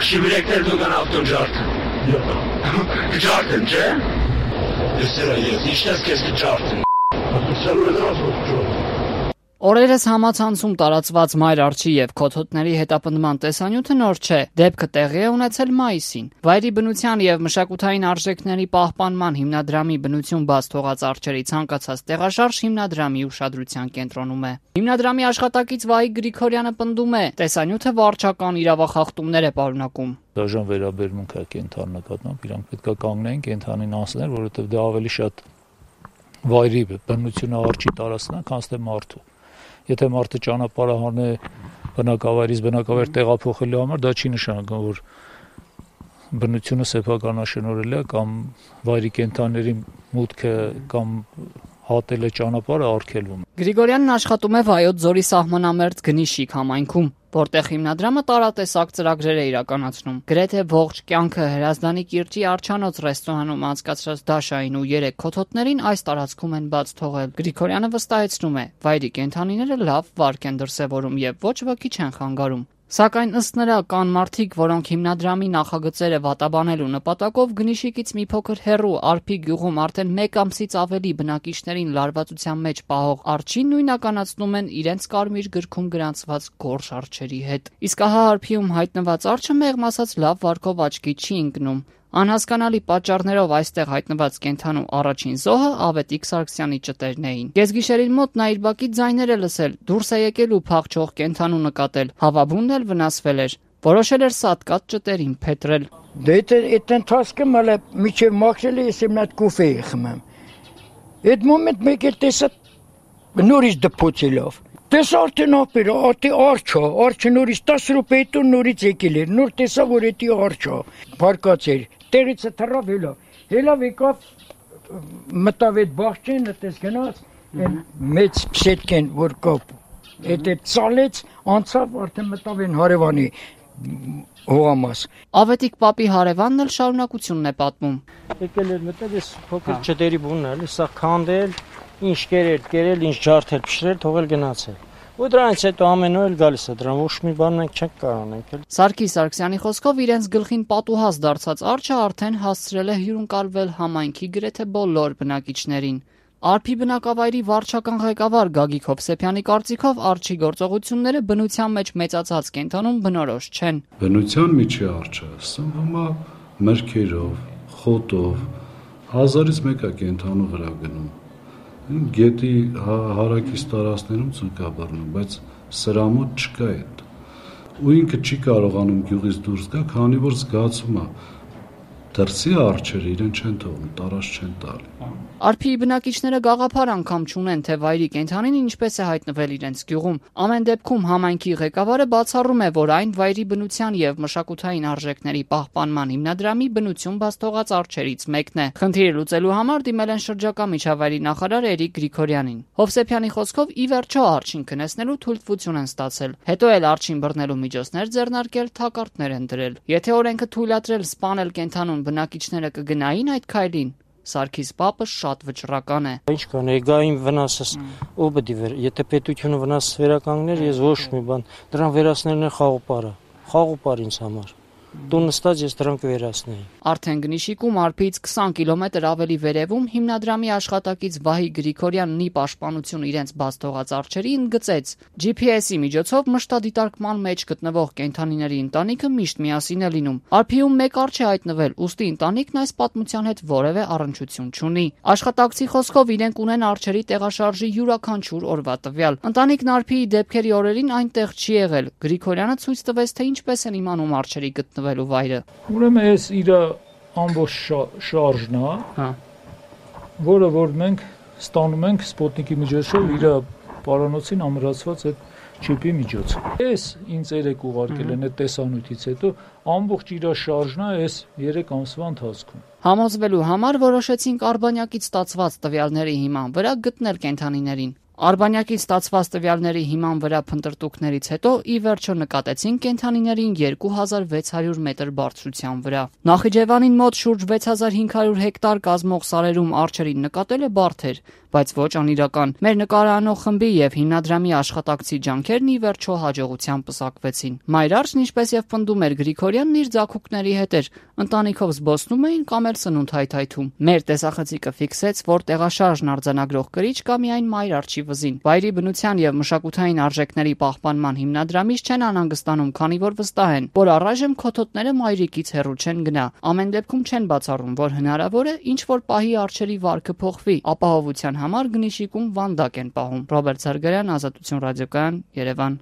Շիբրեկներ դու կան ավտոն ջարդը։ Ջարդն, չէ։ Ես ինչպես քեզ ջարդն։ Օրերս համացանցում տարածված մայր արջի եւ քոթոտների հետապնդման տեսանյութը նոր չէ։ Դեպքը տեղի է ունեցել մայիսին։ Վայրի բնության եւ մշակութային արժեքների պահպանման հիմնադրամի բնություն բաց թողած արջերի ցանկացած տեղաշարժ հիմնադրամի ուշադրության կենտրոնում է։ Հիմնադրամի աշխատակից Վահիկ Գրիգորյանը պնդում է, տեսանյութը վարչական իրավախախտումներ է պարունակում։ Դաժան վերաբերմունք է կենթանի նկատմամբ, իրանք պետք է կանգնեն կենթանին անցնել, որովհետեւ դա ավելի շատ վայրի բնությունը արջի տարածքն է, քան թե մարդու։ Եթե մարդը ճանապարհը հանե բնակավայրից բնակավայր տեղափոխելու համար, դա չի նշանակում, որ բնությունը սեփականաշնորհել է կամ վայրի կենդանիների մուտքը կամ հատել է ճանապարհը արգելվում։ Գրիգորյանն աշխատում է Վայոց ձորի սահմանամերձ Գնիշիկ համայնքում, որտեղ հիմնադրամը տարատեսակ ծրագրեր է իրականացնում։ Գրեթե ողջ կյանքը Հրազդանի կիրճի Արջանոց ռեստորանում անցկացրած Դաշային ու 3 քոթոտներին այս տարածքում են բաց թողել։ Գրիգորյանը վստահեցնում է, վայրի կենդանիները լավ վարք են դրսևորում եւ ոչ ոքի չեն խանգարում։ Սակայն ըստ նրա կան մարդիկ, որոնք հիմնադրամի նախագծերը վատաբանելու նպատակով Գնիշիկից մի փոքր հեռու Արփի գյուղում արդեն 1 ամսից ավելի բնակիչներին լարվածության մեջ պահող արջին նույնականացնում են իրենց կարմիր գրքում գրանցված գորշ արջերի հետ։ Իսկ ահա Արփիում հայտնված արջը մեղմ ասած լավ վարքով աչքի չի ընկնում։ Անհասկանալի պատճառներով այստեղ հայտնված կենդանու առաջին զոհը Ավետիք Սարգսյանի ճտերն էին։ Կեսգիշերին մոտ նա իր բակի ձայներ է լսել, դուրս է եկել ու փախչող կենդանու նկատել։ Հավաբունն էլ վնասվել էր։ Որոշել էր սատկած ճտերին փետրել։ Դե այդ ընթացքը մալը միջև մաքրել է, ես իմ նատ կուֆե խմեմ։ Այդ մոմենտ մեկ էլ տեսա նորից դպոցելով։ Տեսա արդեն ապերը, արջը նորից 10 րոպե հետո նորից եկել էր, նոր տեսա, որ էդի արջը բարկած էր, տեղից է թռավ հելավ եկավ, մտավ այդ բաղջեն, այդպես գնաց, մեծ պսետքեն, որ կապ, այդ ծալեց, անցավ, արդեն մտավ են հարևանի հողամաս։ Ավետիք պապի հարևանն էլ շարունակությունն է պատմում։ Եկել էր մտել, ես փոքր ճտերի բունն էլ, սա քանդել, ինչ կերել, ինչ ջարդել, փշրել, թողել գնացել։ Ու դրանից հետո ամեն օր գալիս է, դրան ոչ մի բան մենք չենք կարող անենք։ Սարգիս Սարգսյանի խոսքով իրենց գլխին պատուհաս դարձած արջը արդեն հասցրել է հյուրընկալվել համայնքի գրեթե բոլոր բնակիչներին։ Արփի բնակավայրի վարչական ղեկավար Գագիկ Հովսեփյանի կարծիքով արջի գործողությունները բնության մեջ մեծացած կենդանում բնորոշ չեն։ Բնության միջի արջը սնվում է մրգերով, խոտով, 1000-ից մեկ է կենդանու վրա գնում։ Գետի հարակից տարածքներում ցույց է բռնում, բայց սրա մոտ չկա այդ։ Ու ինքը չի կարողանում գյուղից դուրս գա, քանի որ զգացում է դրսի արջերը իրեն չեն թողնում, տարած չեն տալի։ Արփի բնակիչները գաղափար անգամ չունեն, թե վայրի կենդանին ինչպես է հայտնվել իրենց գյուղում։ Ամեն դեպքում համայնքի ղեկավարը բացառում է, որ այն վայրի բնության եւ մշակութային արժեքների պահպանման հիմնադրամի բնություն բաց թողած արջերից մեկն է։ Խնդիրը լուծելու համար դիմել են շրջակա միջավայրի նախարար Էրիկ Գրիգորյանին։ Հովսեփյանի խոսքով ի վերջո արջին քնեցնելու թույլտվություն են ստացել։ Հետո էլ արջին բռնելու միջոցներ ձեռնարկել, թակարդներ են դրել։ Եթե օրենքը թույլատրել սպանել կենդանուն, բնակիչները կգնային այդ քայլին։ Սարգիս պապը շատ վճռական է։ Ինչ կան, եգային վնասս ով պետք է եթե պետությունը վնասս վերականգներ, ես ոչ մի բան, դրան վերացնելն է խաղոպար ինձ համար։ Դու նստած ես դրանք վերացնեի։ Արդեն Գնիշիկում Արփից 20 կիլոմետր ավելի վերևում հիմնադրամի աշխատակից Վահիկ Գրիգորյանն ի պաշտպանություն իրենց բաց թողած արջերի ընդգծեց GPS-ի միջոցով մշտադիտարկման մեջ գտնվող կենդանիների ընտանիքը միշտ միասին է լինում։ Արփիում մեկ արջ է հայտնվել, ուստի ընտանիքն այս պատմության հետ որևէ առնչություն չունի։ Աշխատակցի խոսքով իրենք ունեն արջերի տեղաշարժի յուրաքանչյուր օրվա տվյալ։ Ընտանիքն Արփիի դեպքերի օրերին այնտեղ չի եղել։ Գրիգորյանը ցույց տվեց, թե ինչպես են իմանում արջերի գտնվելու վայրը։ Ուրեմն այս իր ամբողջ շարժն է, որը որ մենք ստանում ենք սպոտնիկի միջոցով իր պարանոցին ամրացված այդ չիպի միջոցով։ Այս ինձ երեք ուղարկել են այդ տեսանյութից հետո ամբողջ իր շարժն է այս 3 ամսվա ընթացքում։ Համոզվելու համար որոշեցինք Արբանյակից ստացված տվյալների հիման վրա գտնել կենդանիներին։ Արբանյակից ստացված տվյալների հիման վրա փնտրտուքներից հետո ի վերջո նկատեցին կենդանիներին 2600 մետր բարձրության վրա։ Նախիջևանին մոտ շուրջ 6500 հեկտար կազմող սարերում արջերին նկատելը բարդ էր, բայց ոչ անիրական։ Մեր նկարանող խմբի եւ հիմնադրամի աշխատակցի ջանքերն ի վերջո հաջողությամբ պսակվեցին։ Մայր Արչն, ինչպես եւ պնդում էր Գրիգորյանն, իր ձագուկների հետ էր ընտանիքով զբոսնում էին կամ էլ սնունդ հայթայթում։ Մեր տեսախցիկը ֆիքսեց, որ տեղաշարժն արձանագրող կրիչ կա միայն Մայր Արչի վզին։ Վայրի բնության եւ մշակութային արժեքների պահպանման հիմնադրամից չեն անհանգստանում, քանի որ վստահ են, որ առայժմ քոթոտները մայրիկից հեռու չեն գնա։ Ամեն դեպքում չեն բացառում, որ հնարավոր է ինչ որ պահի արջերի վարքը փոխվի։ Ապահովության համար Գնիշիկում վանդակ են պահում։ Ռոբերտ Զարգարյան, Ազատություն ռադիոկայան, Երևան։